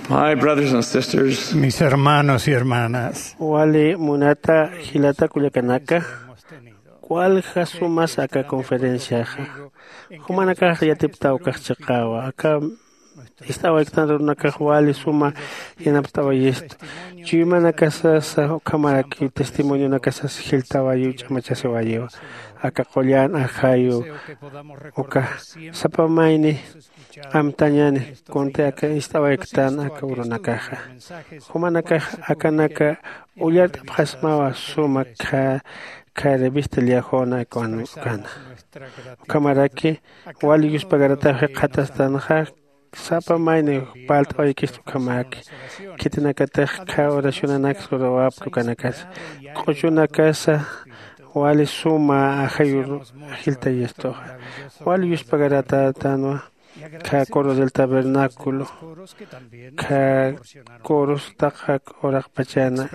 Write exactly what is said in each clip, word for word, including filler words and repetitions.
My brothers and sisters, mis hermanos y hermanas, wali munata jilata kullakanaka, walja sumas aka conferenciaxa. Jumanakax yatiptaw kax chiqawa aka ist'awayktan runakax wali suma yanapt'awayistu. Chuymanakasasa ukhamaraki testimonionakasasa jiltawayiw ch'amachasiwayiwa. Aka qullan ajayu uka sapa mayni amtañani kunti aka ist'awayktan aka urunakaxa. Jumanakax akanaka ullart'apxasmawa suma kha kha revista liajona ukana. Ukhamaraki wali yuspagarataw jikxatastanxa sapa mayni parlt'awaykista ukhamaki. Khitinakatix kha oracionanaks lurawapki ukanakas q'uchunakasa wali suma ajayur jiltayistuxa. Wali yuspagaratatanwa kha coro del tabernáculo kha coros taqak uraqpachana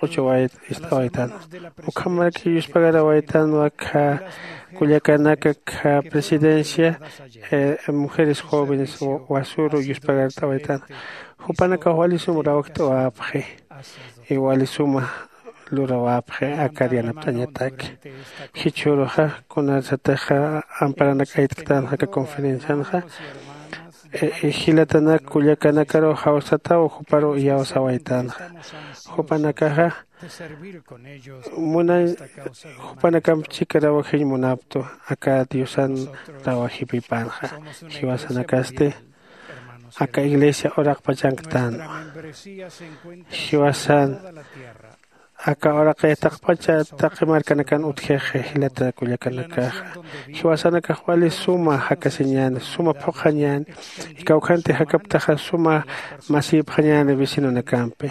q'uchawayt ist'awaytanwa. Ukhamaraki yuspagarawaytanwa kha kullakanaka kha presidencia mujeres jóvenes wasuru yuspagart'awaytanwa. Jupanakax wali suma rawjt'awapxi y wali suma lurawapxi akar yanapt'añataki. Jichhüruxa kunarsatixa amparanak aytktanxa aka conferencianxa jilatanak kullakanakaru jawsataw juparu iyawsawaytanxa. Jupanakaxa munañ jupanakamp chikarawajiñ munaptu aka diosan rawajipipanxa. Jiwasanakasti aka iglesia uraqpachanktanwa. Jiwasan aka uraqi taqpacha taqi markanakan utjixi jilata kullakanakaxa. Jiwasanakax wali suma jakasiñäni suma phuqhañäni. Kawkhanti jakaptaxa suma masïpxañäni vecinonakampi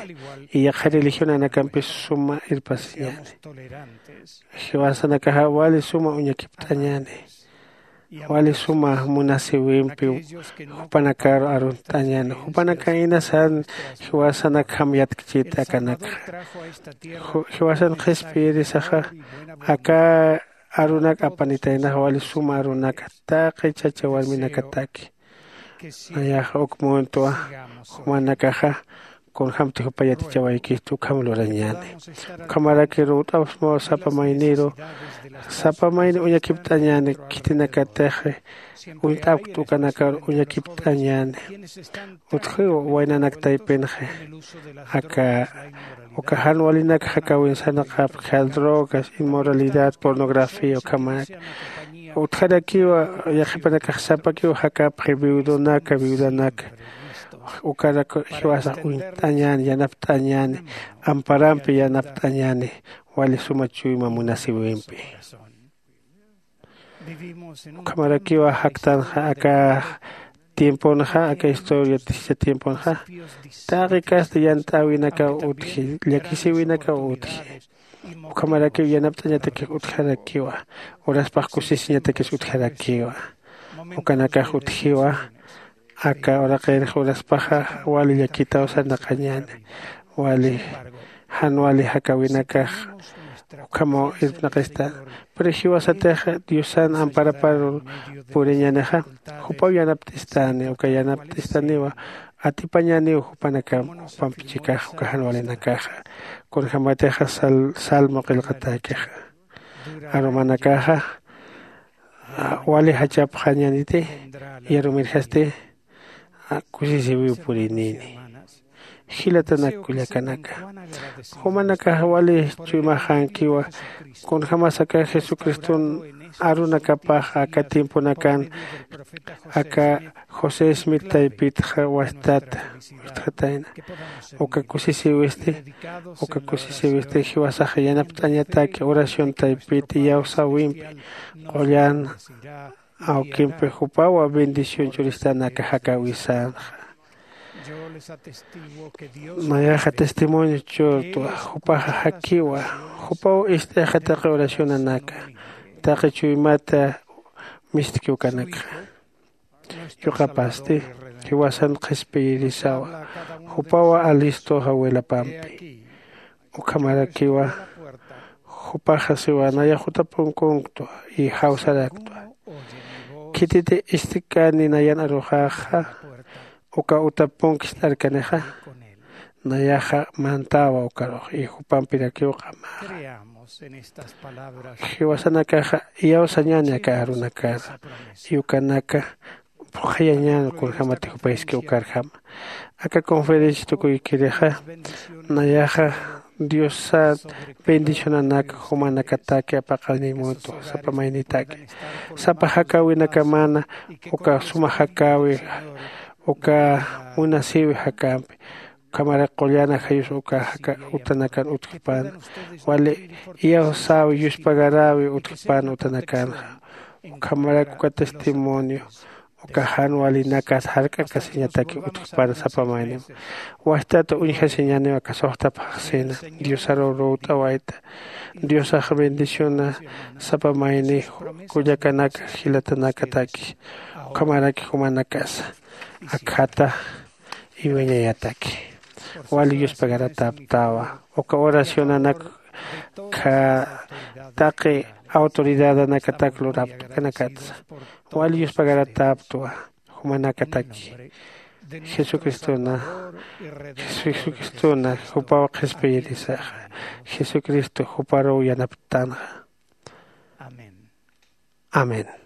y yaqha religionanakampis suma irpasiñäni. Jiwasanakaxa wali suma uñakipt'añäni. Wali suma munasïwimpi jupanakar arunt'añäni. Jupanaka inasan jiwasanakjam yatkchit akanakxa. Jiwasan qhispiyirisaxa aka arunak apanitaynaxa wali suma arunaka taqi chacha warminakataki. Nayaxa uk muntwa jumanakaxa kunjämti jupa yatichawaykistu ukham lurañäni. Ukhamaraki ruwt'apxsmaw sapa mayniru sapa mayni uñakipt'añäni khitinakatixi uñt'apkt ukanakar uñakipt'añäni. Utjiw waynanak taypinxi aka uka jan walinak jakäwin sarnaqapki drogas inmoralidad pornografía ukhamak. Utjarakiwa yaqhipanakax sapakiw jakapxi viudonaka viudanaka ukarak jiwasax uñt'añäni yanapt'añäni amparampi yanapt'añäni wali suma chuyma munasïwimpi. Ukhamarakiwa jaktanxa aka tiemponxa aka historia tischa tiemponxa taqi kasta yant'äwinakaw utji llakisïwinakaw utji. Ukhamarakiw yanapt'añatakix utjarakiwa uraspax kusisiñatakis utjarakiwa. Ukanakax utjiwa aka uraqinxa uraspaxa wali llakitaw sarnaqañäni wali jan wali jakäwinakax ukhamaw irpnaqista. Pero jiwasatix diosan amparapar puriñänixa jupaw yanapt'istani uka yanapt'istaniwa atipañäniw jupanakam jupamp chikax uka jan walinakaxa. Kunjämatixa salmo qillqatäkixa arumanakaxa wali jachapxañäniti yarumirjasti kusisïwiw purinini. Jilatanak kullakanaka jumanakax wali chuymaxänkiwa kunjämas aka jesucriston arunakapax aka tiemponakan aka josé smith taypitxa wastata wistxatayna. Uka kusisïwisti uka kusisïwisti jiwasax yanapt'añataki oración taypit iyawsäwimpi qullan awkimpi jupawa bendición churistanaka jakäwisanxa. Nayaxa testimonio churtwa jupaxa jakiwa jupaw ist'ixa taqi oracionanaka taqi chuymata mistki ukanakxa. Yuqapasti jiwasan qhispiyirisawa jupawa alistoxa wilapampi. Ukhamarakiwa jupaxa siwa nayax juta punkunktwa y jawsaraktwa. Khititi istkani nayan aruxaxa uka utapunkis t'arkanixa, nayaxa mantawa ukarux y jupampirakiw q'amaxa. Jiwasanakaxa iyawsañani aka arunakara y ukanaka phuqhayañan kunjämati jupayski ukarjama. Aka conferencia tukuykirixa nayaxa diosat bendicionanak jumanakataki apaqanimutu sapa maynitaki, sapa jakäwinakamana uka suma jakäwi uka munasïwi jakämpi. Ukhamarak qullana jayus uka jaka utanakan utjpan wali iyawsäwi yuspagaräwi utjpan utanakanxa. Ukhamarak uka testimonio uka jan walinakat jark'akasiñataki utjpan sapa maynim. Wajtata uñjasiñaniw aka suxta phaxsina diosaruw lurt'awayta. Diosax bendiciona sapa mayni kullakanaka jilatanakataki. Ukhamaraki jumanakasa akhata iwiñayataki. Wali yuspagaratäptawa uka oracionanak kha taqi autoridadanakatak luraptukanakatsa wali yuspagaratäptwa. Jumanakataki jesucristona jesucristona jupaw qhispiyirisaxa. Jesucristo juparuw yanaptanxa. Amén.